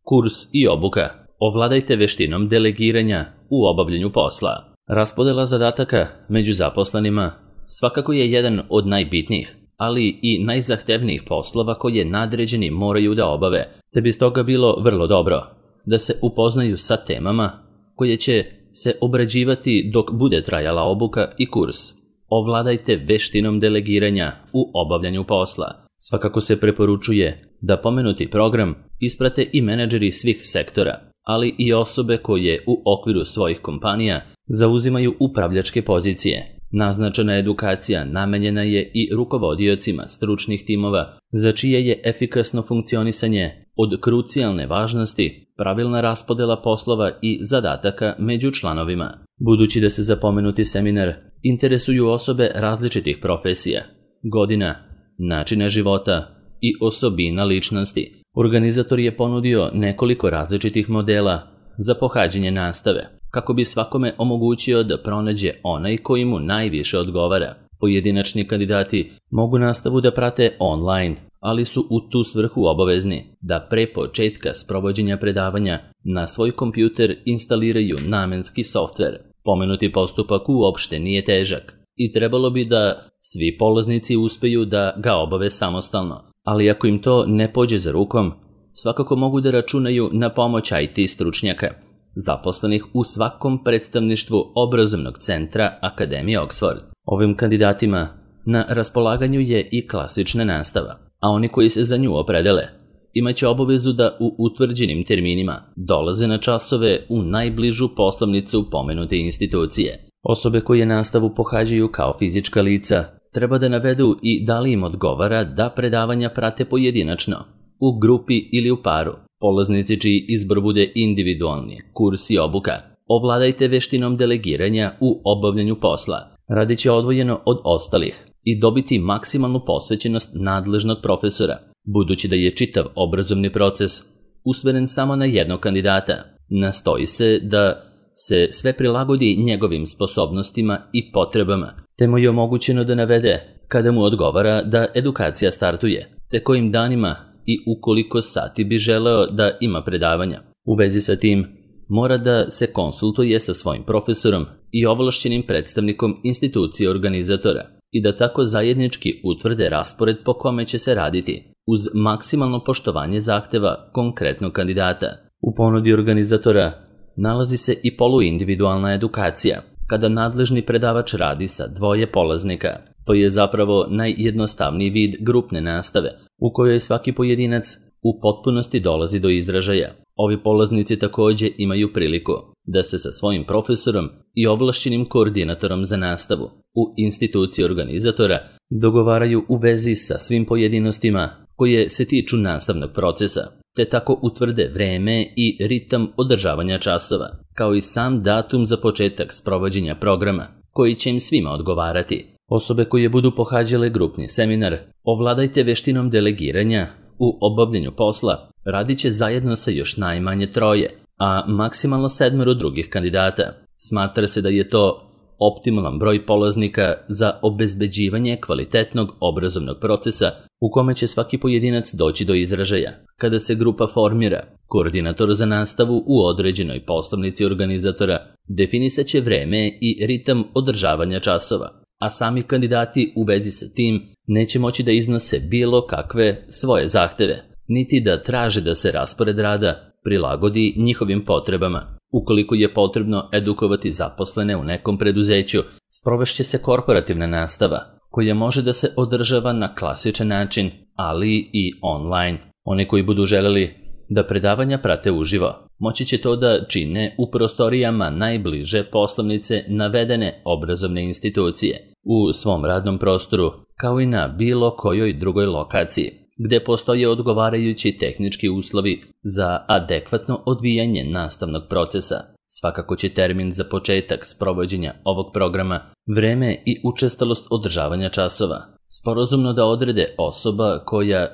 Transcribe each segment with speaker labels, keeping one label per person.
Speaker 1: Kurs i obuka. Ovladajte veštinom delegiranja u obavljanju posla. Raspodela zadataka među zaposlenima svakako je jedan od najbitnijih, ali i najzahtevnijih poslova koje nadređeni moraju da obave, te bi stoga bilo vrlo dobro da se upoznaju sa temama koje će se obrađivati dok bude trajala obuka i kurs. Ovladajte veštinom delegiranja u obavljanju posla. Svakako se preporučuje da pomenuti program isprate i menadžeri svih sektora, ali i osobe koje u okviru svojih kompanija zauzimaju upravljačke pozicije. Naznačena edukacija namenjena je i rukovodiocima stručnih timova, za čije je efikasno funkcionisanje od krucijalne važnosti pravilna raspodela poslova i zadataka među članovima. Budući da se za pomenuti seminar interesuju osobe različitih profesija, godina, načina života i osobina ličnosti, organizator je ponudio nekoliko različitih modela za pohađanje nastave, kako bi svakome omogućio da pronađe onaj koji mu najviše odgovara. Pojedinačni kandidati mogu nastavu da prate online, ali su u tu svrhu obavezni da pre početka sprovođenja predavanja na svoj kompjuter instaliraju namenski softver. Pomenuti postupak uopšte nije težak i trebalo bi da svi polaznici uspeju da ga obave samostalno, ali ako im to ne pođe za rukom, svakako mogu da računaju na pomoć IT stručnjaka, zaposlenih u svakom predstavništvu obrazovnog centra Akademije Oxford. Ovim kandidatima na raspolaganju je i klasična nastava, a oni koji se za nju opredele imaće obavezu da u utvrđenim terminima dolaze na časove u najbližu poslovnicu pomenute institucije. Osobe koje nastavu pohađaju kao fizička lica treba da navedu i da li im odgovara da predavanja prate pojedinačno, u grupi ili u paru. Polaznici čiji izbor bude individualni, kurs i obuka. Ovladajte veštinom delegiranja u obavljanju posla. Radit će odvojeno od ostalih i dobiti maksimalnu posvećenost nadležnog profesora, budući da je čitav obrazovni proces usmeren samo na jednog kandidata. Nastoji se da se sve prilagodi njegovim sposobnostima i potrebama, te mu je omogućeno da navede kada mu odgovara da edukacija startuje, te kojim danima i u koliko sati bi želeo da ima predavanja. U vezi sa tim, mora da se konsultuje sa svojim profesorom i ovlašćenim predstavnikom institucije organizatora i da tako zajednički utvrde raspored po kome će se raditi, uz maksimalno poštovanje zahteva konkretnog kandidata. U ponudi organizatora nalazi se i poluindividualna edukacija, kada nadležni predavač radi sa dvoje polaznika. To je zapravo najjednostavniji vid grupne nastave, u kojoj svaki pojedinac u potpunosti dolazi do izražaja. Ovi polaznici također imaju priliku da se sa svojim profesorom i ovlašćenim koordinatorom za nastavu u instituciji organizatora dogovaraju u vezi sa svim pojedinostima koje se tiču nastavnog procesa, te tako utvrde vreme i ritam održavanja časova, kao i sam datum za početak sprovođenja programa, koji će im svima odgovarati. Osobe koje budu pohađale grupni seminar Ovladajte veštinom delegiranja u obavljanju posla radit će zajedno sa još najmanje 3, a maksimalno 7 drugih kandidata. Smatra se da je to optimalan broj polaznika za obezbeđivanje kvalitetnog obrazovnog procesa u kome će svaki pojedinac doći do izražaja. Kada se grupa formira, koordinator za nastavu u određenoj poslovnici organizatora definisat će vreme i ritam održavanja časova, a sami kandidati u vezi sa tim neće moći da iznose bilo kakve svoje zahteve, niti da traže da se raspored rada prilagodi njihovim potrebama. Ukoliko je potrebno edukovati zaposlene u nekom preduzeću, sprovešće se korporativna nastava, koja može da se održava na klasičan način, ali i online. Oni koji budu želeli da predavanja prate uživo, moći će to da čine u prostorijama najbliže poslovnice navedene obrazovne institucije, u svom radnom prostoru, kao i na bilo kojoj drugoj lokaciji, gde postoje odgovarajući tehnički uslovi za adekvatno odvijanje nastavnog procesa. Svakako će termin za početak sprovođenja ovog programa, vreme i učestalost održavanja časova sporazumno da odrede osoba koja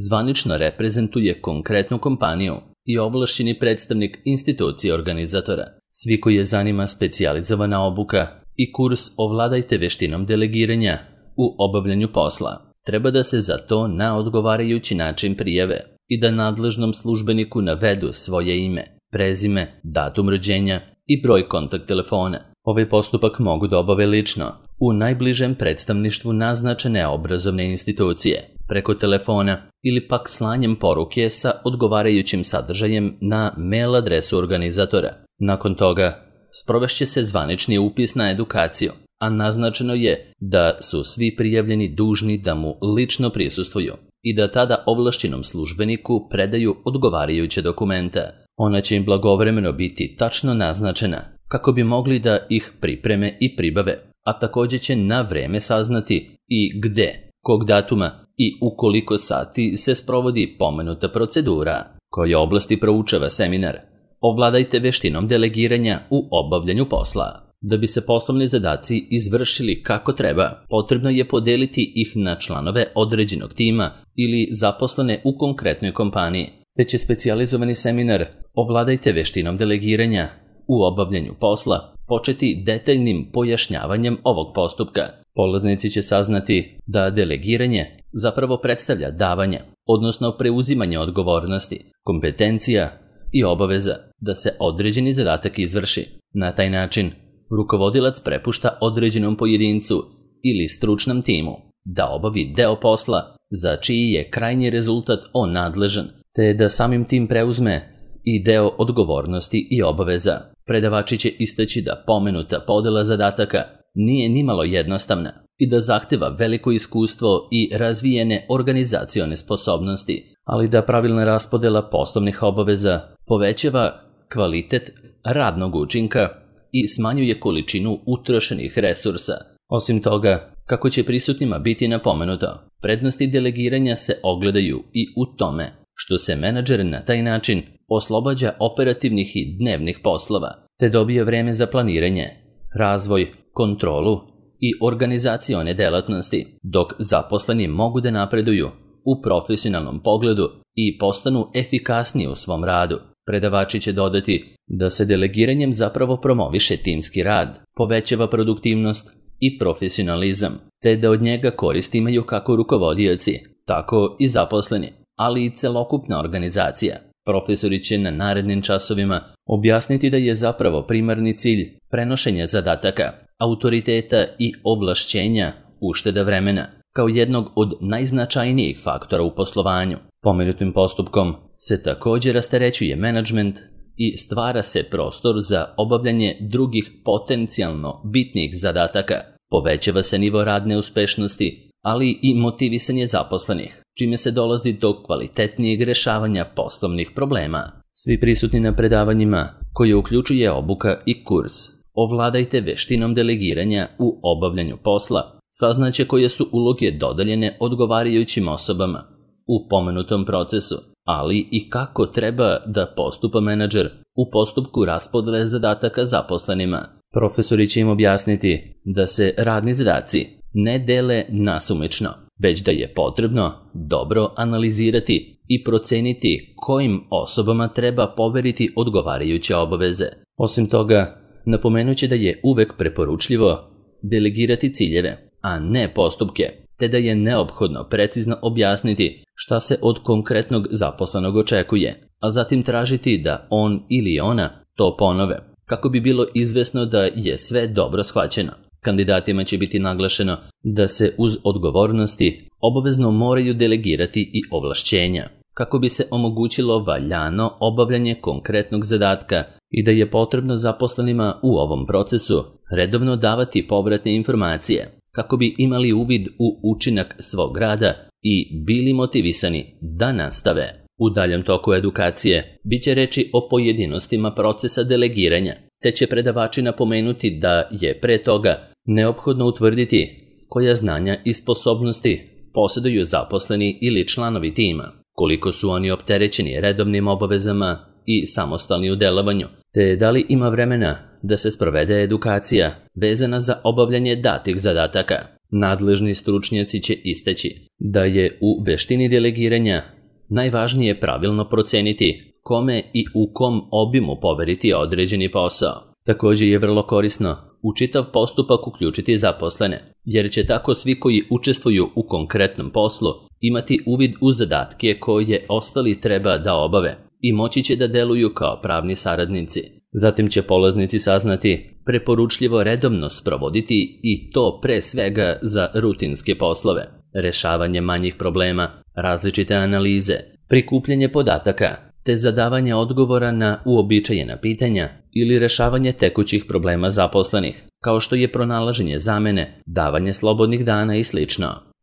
Speaker 1: zvanično reprezentuje konkretnu kompaniju i ovlašćeni predstavnik institucije organizatora. Svi koji je zanima specijalizovana obuka i kurs Ovladajte veštinom delegiranja u obavljanju posla treba da se za to na odgovarajući način prijave i da nadležnom službeniku navedu svoje ime, prezime, datum rođenja i broj kontakt telefona. Ovaj postupak mogu da obave lično, u najbližem predstavništvu naznačene obrazovne institucije, preko telefona ili pak slanjem poruke sa odgovarajućim sadržajem na mail adresu organizatora. Nakon toga, sprovešće se zvanični upis na edukaciju, a naznačeno je da su svi prijavljeni dužni da mu lično prisustvuju i da tada ovlašćenom službeniku predaju odgovarajuće dokumente. Ona će im blagovremeno biti tačno naznačena kako bi mogli da ih pripreme i pribave, a također će na vreme saznati i gde, kog datuma i u koliko sati se sprovodi pomenuta procedura. Koje oblasti proučava seminar? Ovladajte veštinom delegiranja u obavljanju posla. Da bi se poslovni zadaci izvršili kako treba, potrebno je podeliti ih na članove određenog tima ili zaposlene u konkretnoj kompaniji, te će specijalizovani seminar Ovladajte veštinom delegiranja u obavljanju posla početi detaljnim pojašnjavanjem ovog postupka. Polaznici će saznati da delegiranje zapravo predstavlja davanje, odnosno preuzimanje odgovornosti, kompetencija i obaveza da se određeni zadatak izvrši. Na taj način, rukovodilac prepušta određenom pojedincu ili stručnom timu da obavi deo posla za čiji je krajnji rezultat on nadležan, te da samim tim preuzme i deo odgovornosti i obaveza. Predavači će istaći da pomenuta podela zadataka nije nimalo jednostavna i da zahteva veliko iskustvo i razvijene organizacione sposobnosti, ali da pravilna raspodela poslovnih obaveza povećava kvalitet radnog učinka i smanjuje količinu utrošenih resursa. Osim toga, kako će prisutnima biti napomenuto, prednosti delegiranja se ogledaju i u tome što se menadžer na taj način oslobađa operativnih i dnevnih poslova, te dobije vreme za planiranje, razvoj, kontrolu i organizacione delatnosti, dok zaposleni mogu da napreduju u profesionalnom pogledu i postanu efikasniji u svom radu. Predavači će dodati da se delegiranjem zapravo promoviše timski rad, povećava produktivnost i profesionalizam, te da od njega korist imaju kako rukovodioci, tako i zaposleni, ali i celokupna organizacija. Profesori će na narednim časovima objasniti da je zapravo primarni cilj prenošenja zadataka, autoriteta i ovlašćenja, ušteda vremena, kao jednog od najznačajnijih faktora u poslovanju. Pomenutim postupkom se također rasterećuje menadžment i stvara se prostor za obavljanje drugih potencijalno bitnih zadataka. Povećava se nivo radne uspešnosti, ali i motivisanje zaposlenih, čime se dolazi do kvalitetnijeg rešavanja poslovnih problema. Svi prisutni na predavanjima, koje uključuje obuka i kurs Ovladajte veštinom delegiranja u obavljanju posla, saznaće koje su uloge dodeljene odgovarajućim osobama u pomenutom procesu, ali i kako treba da postupa menadžer u postupku raspodele zadataka zaposlenima. Profesori će im objasniti da se radni zadaci ne dele nasumično, već da je potrebno dobro analizirati i proceniti kojim osobama treba poveriti odgovarajuće obaveze. Osim toga, napomenuće da je uvek preporučljivo delegirati ciljeve, a ne postupke, te da je neophodno precizno objasniti šta se od konkretnog zaposlenog očekuje, a zatim tražiti da on ili ona to ponove, kako bi bilo izvesno da je sve dobro shvaćeno. Kandidatima će biti naglašeno da se uz odgovornosti obavezno moraju delegirati i ovlašćenja, kako bi se omogućilo valjano obavljanje konkretnog zadatka i da je potrebno zaposlenima u ovom procesu redovno davati povratne informacije, kako bi imali uvid u učinak svog rada i bili motivisani da nastave. U daljem toku edukacije bit će reči o pojedinostima procesa delegiranja, te će predavači napomenuti da je pre toga neophodno utvrditi koja znanja i sposobnosti posjeduju zaposleni ili članovi tima, koliko su oni opterećeni redovnim obavezama i samostalni u delovanju, te da li ima vremena da se sprovede edukacija vezana za obavljanje datih zadataka. Nadležni stručnjaci će istaći da je u veštini delegiranja najvažnije pravilno proceniti kome i u kom obimu poveriti određeni posao. Također je vrlo korisno u čitav postupak uključiti zaposlene, jer će tako svi koji učestvuju u konkretnom poslu imati uvid u zadatke koje ostali treba da obave i moći će da deluju kao pravni saradnici. Zatim će polaznici saznati preporučljivo redovno sprovoditi i to pre svega za rutinske poslove, rešavanje manjih problema, različite analize, prikupljanje podataka, te zadavanje odgovora na uobičajena pitanja ili rešavanje tekućih problema zaposlenih, kao što je pronalaženje zamene, davanje slobodnih dana i sl.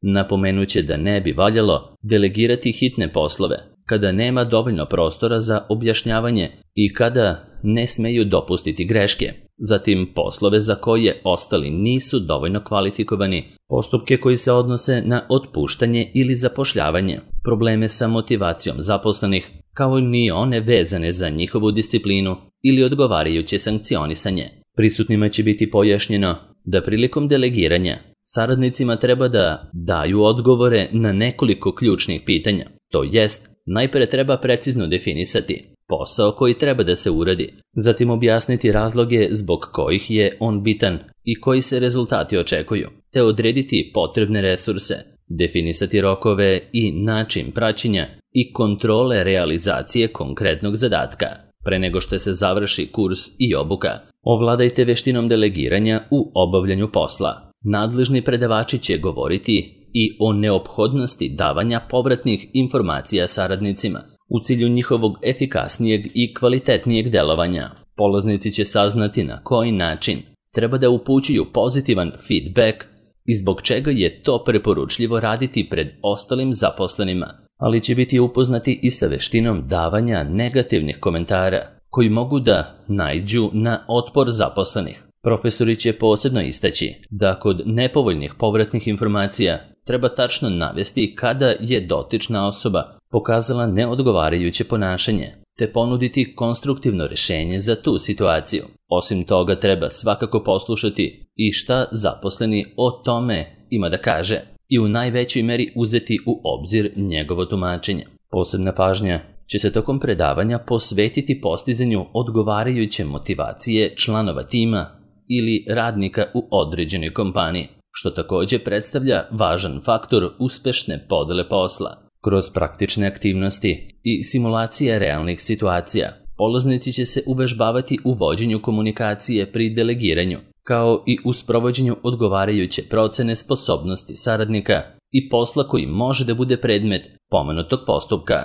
Speaker 1: Napomenuće da ne bi valjalo delegirati hitne poslove, kada nema dovoljno prostora za objašnjavanje i kada ne smeju dopustiti greške, zatim poslove za koje ostali nisu dovoljno kvalifikovani, postupke koji se odnose na otpuštanje ili zapošljavanje, probleme sa motivacijom zaposlenih, kao ni one vezane za njihovu disciplinu ili odgovarajuće sankcionisanje. Prisutnima će biti pojašnjeno da prilikom delegiranja saradnicima treba da daju odgovore na nekoliko ključnih pitanja, to jest najpre treba precizno definisati posao koji treba da se uradi, zatim objasniti razloge zbog kojih je on bitan i koji se rezultati očekuju, te odrediti potrebne resurse, definisati rokove i način praćenja i kontrole realizacije konkretnog zadatka. Pre nego što se završi kurs i obuka, ovladajte veštinom delegiranja u obavljanju posla. Nadležni predavači će govoriti i o neophodnosti davanja povratnih informacija saradnicima u cilju njihovog efikasnijeg i kvalitetnijeg delovanja. Polaznici će saznati na koji način treba da upućuju pozitivan feedback i zbog čega je to preporučljivo raditi pred ostalim zaposlenima, ali će biti upoznati i sa veštinom davanja negativnih komentara koji mogu da naiđu na otpor zaposlenih. Profesori će posebno istaći da kod nepovoljnih povratnih informacija treba tačno navesti kada je dotična osoba pokazala neodgovarajuće ponašanje, te ponuditi konstruktivno rešenje za tu situaciju. Osim toga treba svakako poslušati i šta zaposleni o tome ima da kaže i u najvećoj meri uzeti u obzir njegovo tumačenje. Posebna pažnja će se tokom predavanja posvetiti postizanju odgovarajuće motivacije članova tima ili radnika u određenoj kompaniji, što također predstavlja važan faktor uspešne podele posla. Kroz praktične aktivnosti i simulacije realnih situacija, polaznici će se uvežbavati u vođenju komunikacije pri delegiranju, kao i u sprovođenju odgovarajuće procene sposobnosti saradnika i posla koji može da bude predmet pomenutog postupka.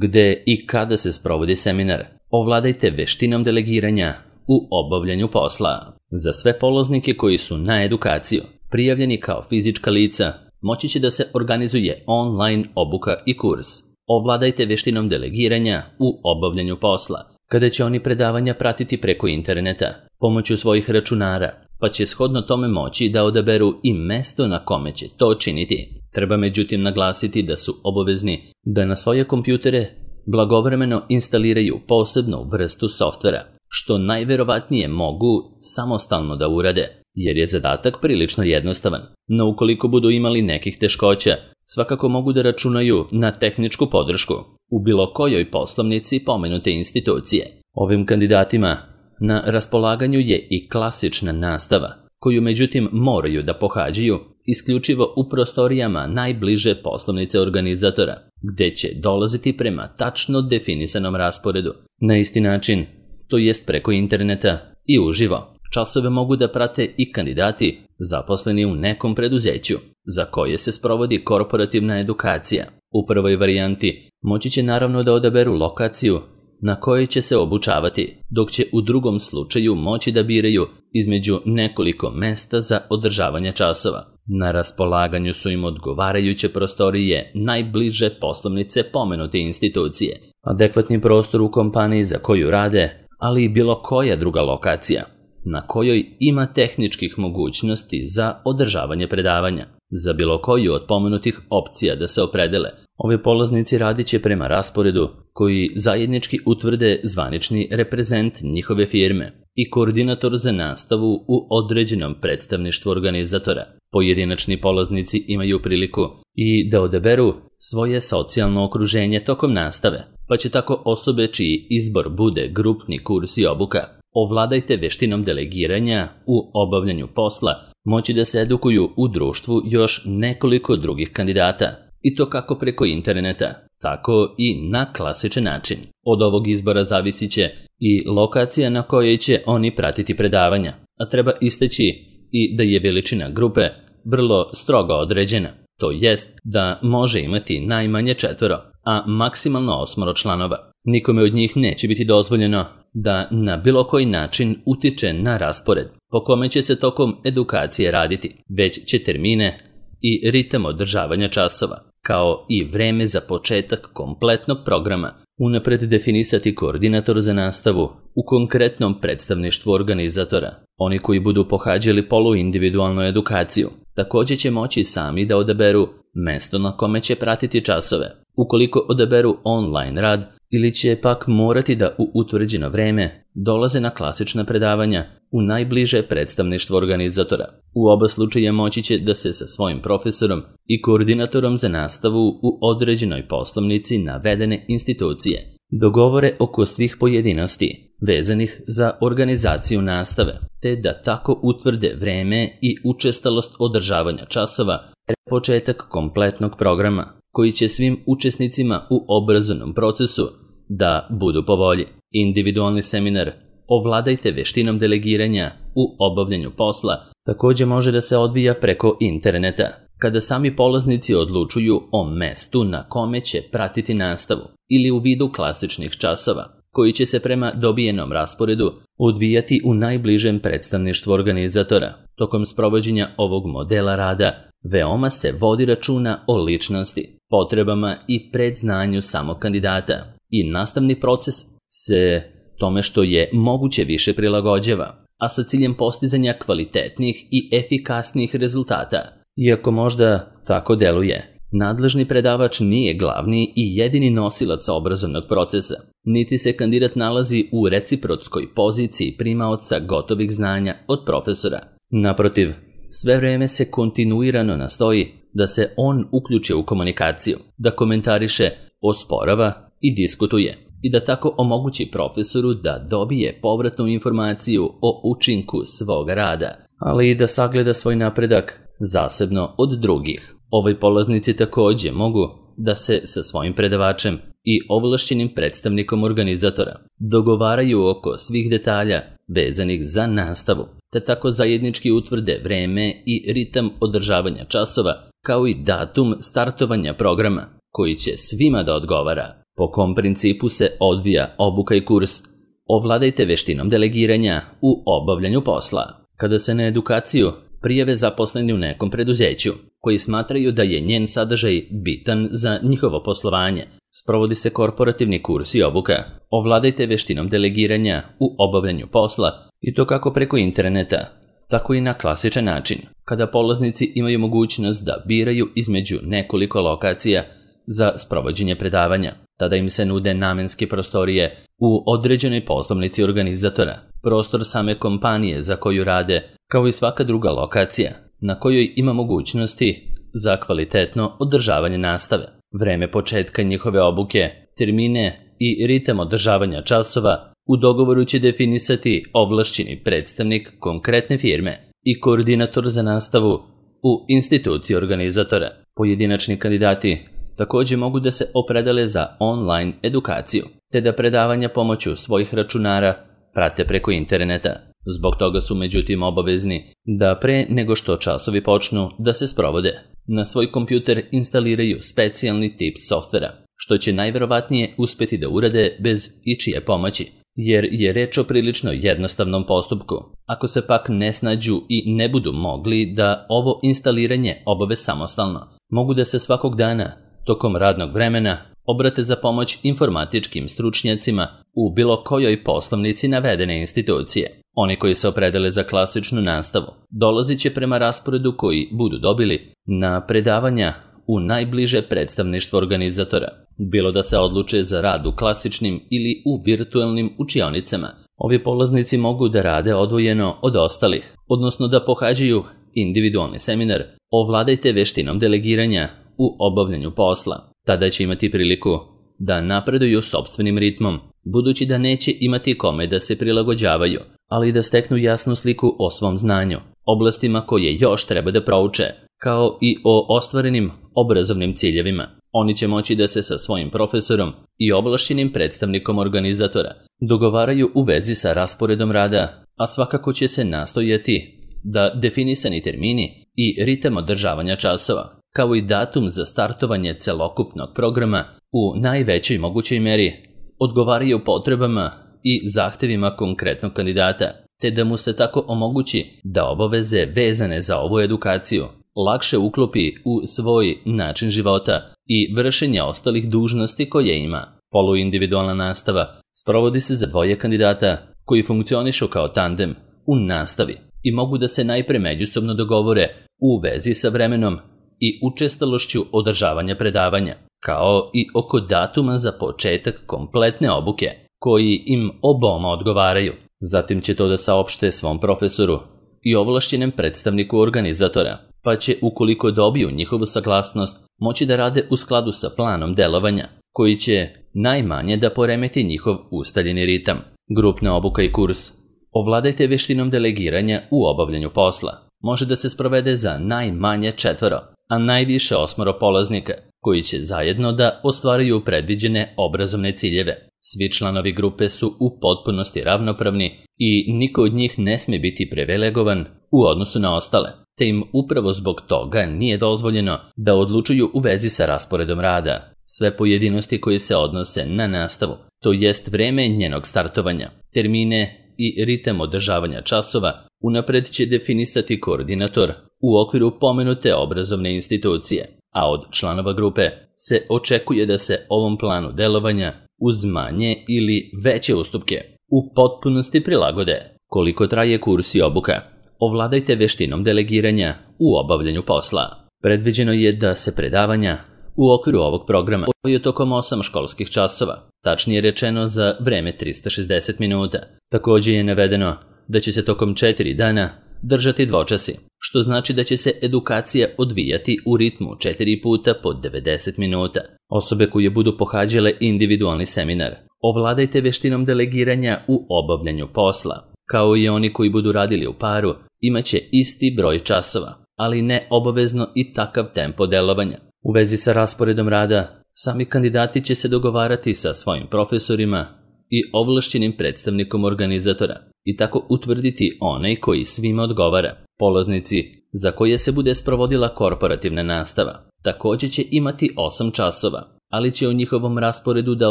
Speaker 1: Gde i kada se sprovodi seminar, ovladajte veštinom delegiranja u obavljanju posla. Za sve polaznike koji su na edukaciju prijavljeni kao fizička lica, moći će da se organizuje online obuka i kurs. Ovladajte veštinom delegiranja u obavljanju posla, kada će oni predavanja pratiti preko interneta, pomoću svojih računara, pa će shodno tome moći da odaberu i mesto na kome će to činiti. Treba međutim naglasiti da su obavezni da na svoje kompjutere blagovremeno instaliraju posebnu vrstu softvera, što najverovatnije mogu samostalno da urade, jer je zadatak prilično jednostavan. No ukoliko budu imali nekih teškoća, svakako mogu da računaju na tehničku podršku u bilo kojoj poslovnici pomenute institucije. Ovim kandidatima na raspolaganju je i klasična nastava, koju međutim moraju da pohađaju isključivo u prostorijama najbliže poslovnice organizatora, gde će dolaziti prema tačno definisanom rasporedu. Na isti način, to jest preko interneta i uživo. Časove mogu da prate i kandidati zaposleni u nekom preduzeću, za koje se sprovodi korporativna edukacija. U prvoj varijanti moći će naravno da odaberu lokaciju na kojoj će se obučavati, dok će u drugom slučaju moći da biraju između nekoliko mesta za održavanje časova. Na raspolaganju su im odgovarajuće prostorije najbliže poslovnice pomenute institucije, adekvatni prostor u kompaniji za koju rade, ali i bilo koja druga lokacija na kojoj ima tehničkih mogućnosti za održavanje predavanja. Za bilo koju od pomenutih opcija da se opredele, ovi polaznici radit će prema rasporedu koji zajednički utvrde zvanični reprezent njihove firme i koordinator za nastavu u određenom predstavništvu organizatora. Pojedinačni polaznici imaju priliku i da odaberu svoje socijalno okruženje tokom nastave, pa će tako osobe čiji izbor bude grupni kurs i obuka Ovladajte veštinom delegiranja u obavljanju posla, moći da se edukuju u društvu još nekoliko drugih kandidata, i to kako preko interneta, tako i na klasičan način. Od ovog izbora zavisit će i lokacija na kojoj će oni pratiti predavanja, a treba istaći i da je veličina grupe vrlo strogo određena, to jest da može imati najmanje 4, a maksimalno 8 članova. Nikome od njih neće biti dozvoljeno da na bilo koji način utiče na raspored po kome će se tokom edukacije raditi, već će termine i ritam održavanja časova, kao i vreme za početak kompletnog programa, unapred definisati koordinator za nastavu u konkretnom predstavništvu organizatora. Oni koji budu pohađali poluindividualnu edukaciju također će moći sami da odaberu mesto na kome će pratiti časove. Ukoliko odaberu online rad, ili će pak morati da u utvrđeno vreme dolaze na klasična predavanja u najbliže predstavništvo organizatora. U oba slučaja moći će da se sa svojim profesorom i koordinatorom za nastavu u određenoj poslovnici navedene institucije dogovore oko svih pojedinosti vezanih za organizaciju nastave, te da tako utvrde vreme i učestalost održavanja časova pre početak kompletnog programa, koji će svim učesnicima u obrazovnom procesu da budu po volji. Individualni seminar Ovladajte veštinom delegiranja u obavljanju posla također može da se odvija preko interneta, kada sami polaznici odlučuju o mestu na kome će pratiti nastavu ili u vidu klasičnih časova, koji će se prema dobijenom rasporedu odvijati u najbližem predstavništvu organizatora. Tokom sprovođenja ovog modela rada veoma se vodi računa o ličnosti, potrebama i predznanju samog kandidata i nastavni proces se tome što je moguće više prilagođava, a sa ciljem postizanja kvalitetnih i efikasnih rezultata. Iako možda tako deluje, nadležni predavač nije glavni i jedini nosilac obrazovnog procesa, niti se kandidat nalazi u reciprotskoj poziciji primaoca gotovih znanja od profesora. Naprotiv, sve vreme se kontinuirano nastoji da se on uključi u komunikaciju, da komentariše, osporava i diskutuje, i da tako omogući profesoru da dobije povratnu informaciju o učinku svog rada, ali i da sagleda svoj napredak zasebno od drugih. Ovi polaznici također mogu da se sa svojim predavačem i ovlašćenim predstavnikom organizatora dogovaraju oko svih detalja vezanih za nastavu, te tako zajednički utvrde vreme i ritam održavanja časova, kao i datum startovanja programa, koji će svima da odgovara. Po kom principu se odvija obuka i kurs Ovladajte veštinom delegiranja u obavljanju posla. Kada se na edukaciju prijave zaposleni u nekom preduzeću, koji smatraju da je njen sadržaj bitan za njihovo poslovanje, sprovodi se korporativni kurs i obuka Ovladajte veštinom delegiranja u obavljanju posla, i to kako preko interneta, tako i na klasičan način, kada polaznici imaju mogućnost da biraju između nekoliko lokacija za sprovođenje predavanja. Tada im se nude namenske prostorije u određenoj poslovnici organizatora, prostor same kompanije za koju rade, kao i svaka druga lokacija na kojoj ima mogućnosti za kvalitetno održavanje nastave. Vreme početka njihove obuke, termine i ritam održavanja časova u dogovoru će definisati ovlašćeni predstavnik konkretne firme i koordinator za nastavu u instituciji organizatora. Pojedinačni kandidati također mogu da se opredele za online edukaciju, te da predavanja pomoću svojih računara prate preko interneta. Zbog toga su međutim obavezni da pre nego što časovi počnu da se sprovode, na svoj kompjuter instaliraju specijalni tip softvera, što će najverovatnije uspeti da urade bez ičije pomoći, jer je reč o prilično jednostavnom postupku. Ako se pak ne snađu i ne budu mogli da ovo instaliranje obave samostalno, mogu da se svakog dana tokom radnog vremena obrate za pomoć informatičkim stručnjacima u bilo kojoj poslovnici navedene institucije. Oni koji se opredele za klasičnu nastavu dolazit će prema rasporedu koji budu dobili na predavanja u najbliže predstavništvo organizatora, bilo da se odluče za rad u klasičnim ili u virtualnim učionicama. Ovi polaznici mogu da rade odvojeno od ostalih, odnosno da pohađaju individualni seminar Ovladajte veštinom delegiranja u obavljanju posla. Tada će imati priliku da napreduju sopstvenim ritmom budući da neće imati kome da se prilagođavaju, ali i da steknu jasnu sliku o svom znanju, oblastima koje još treba da prouče, kao i o ostvarenim obrazovnim ciljevima. Oni će moći da se sa svojim profesorom i ovlašćenim predstavnikom organizatora dogovaraju u vezi sa rasporedom rada, a svakako će se nastojati da definisani termini i ritam održavanja časova, kao i datum za startovanje celokupnog programa u najvećoj mogućoj meri odgovaraju potrebama i zahtevima konkretnog kandidata, te da mu se tako omogući da obaveze vezane za ovu edukaciju lakše uklopi u svoj način života i vršenja ostalih dužnosti koje ima. Poluindividualna nastava sprovodi se za dvoje kandidata koji funkcionišu kao tandem u nastavi i mogu da se najpre međusobno dogovore u vezi sa vremenom i učestalošću održavanja predavanja, kao i oko datuma za početak kompletne obuke, koji im oboma odgovaraju. Zatim će to da saopšte svom profesoru i ovlašćenom predstavniku organizatora, pa će, ukoliko dobiju njihovu saglasnost, moći da rade u skladu sa planom delovanja, koji će najmanje da poremeti njihov ustaljeni ritam. Grupna obuka i kurs Ovladajte veštinom delegiranja u obavljanju posla može da se sprovede za najmanje 4, a najviše 8 polaznika, koji će zajedno da ostvaruju predviđene obrazovne ciljeve. Svi članovi grupe su u potpunosti ravnopravni i niko od njih ne sme biti privilegovan u odnosu na ostale, te im upravo zbog toga nije dozvoljeno da odlučuju u vezi sa rasporedom rada. Sve pojedinosti koje se odnose na nastavu, to jest vreme njenog startovanja, termine i ritam održavanja časova, unapred će definisati koordinator u okviru pomenute obrazovne institucije, a od članova grupe se očekuje da se ovom planu delovanja uz manje ili veće ustupke u potpunosti prilagode. Koliko traje kurs i obuka? Ovladajte veštinom delegiranja u obavljanju posla. Predviđeno je da se predavanja u okviru ovog programa odvijaju tokom 8 školskih časova, tačnije rečeno za vreme 360 minuta. Također je navedeno da će se tokom 4 dana držati dvočasi, što znači da će se edukacija odvijati u ritmu 4 puta po 90 minuta. Osobe koje budu pohađale individualni seminar Ovladajte veštinom delegiranja u obavljanju posla, kao i oni koji budu radili u paru, imaće isti broj časova, ali ne obavezno i takav tempo delovanja. U vezi sa rasporedom rada, sami kandidati će se dogovarati sa svojim profesorima i ovlašćenim predstavnikom organizatora i tako utvrditi onaj koji svima odgovara. Polaznici za koje se bude sprovodila korporativna nastava također će imati 8 časova, ali će o njihovom rasporedu da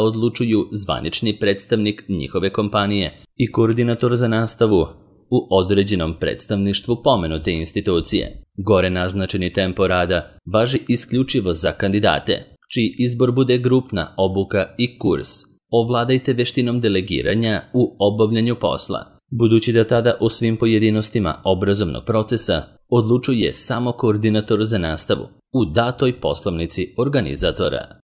Speaker 1: odlučuju zvanični predstavnik njihove kompanije i koordinator za nastavu u određenom predstavništvu pomenute institucije. Gore naznačeni tempo rada važi isključivo za kandidate, čiji izbor bude grupna obuka i kurs. Ovladajte veštinom delegiranja u obavljanju posla, budući da tada o svim pojedinostima obrazovnog procesa odlučuje samo koordinator za nastavu u datoj poslovnici organizatora.